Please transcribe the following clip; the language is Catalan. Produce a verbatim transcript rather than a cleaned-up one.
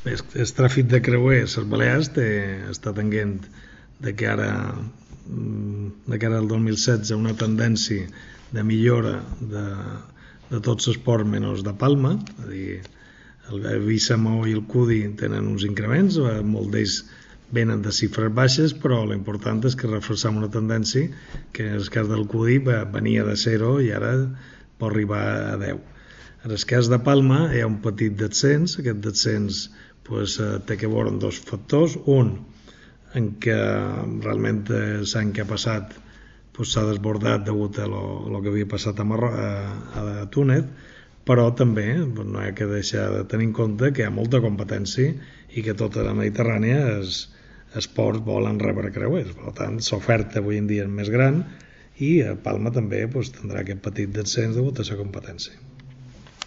Bé, el tràfic de creuers a les Balears té, està tenint de cara, de cara al dos mil setze una tendència de millora de, de tots els ports menys de Palma, és a dir, el Eivissa, Maó i el Cudi tenen uns increments, molts d'ells venen de xifres baixes, però l'important és que reforçam una tendència que en el cas del Cudi venia de zero i ara pot arribar a deu. En el cas de Palma hi ha un petit descens, aquest descens pues, té que veure amb dos factors, un en què realment l'any que ha passat pues, s'ha desbordat degut a el que havia passat a, Marro a, a Túnez, però també no hi ha que deixar de tenir en compte que hi ha molta competència i que tota la Mediterrània els, els ports volen rebre creuers, per tant l'oferta avui en dia és més gran i a Palma també pues, tindrà aquest petit descens degut a la competència.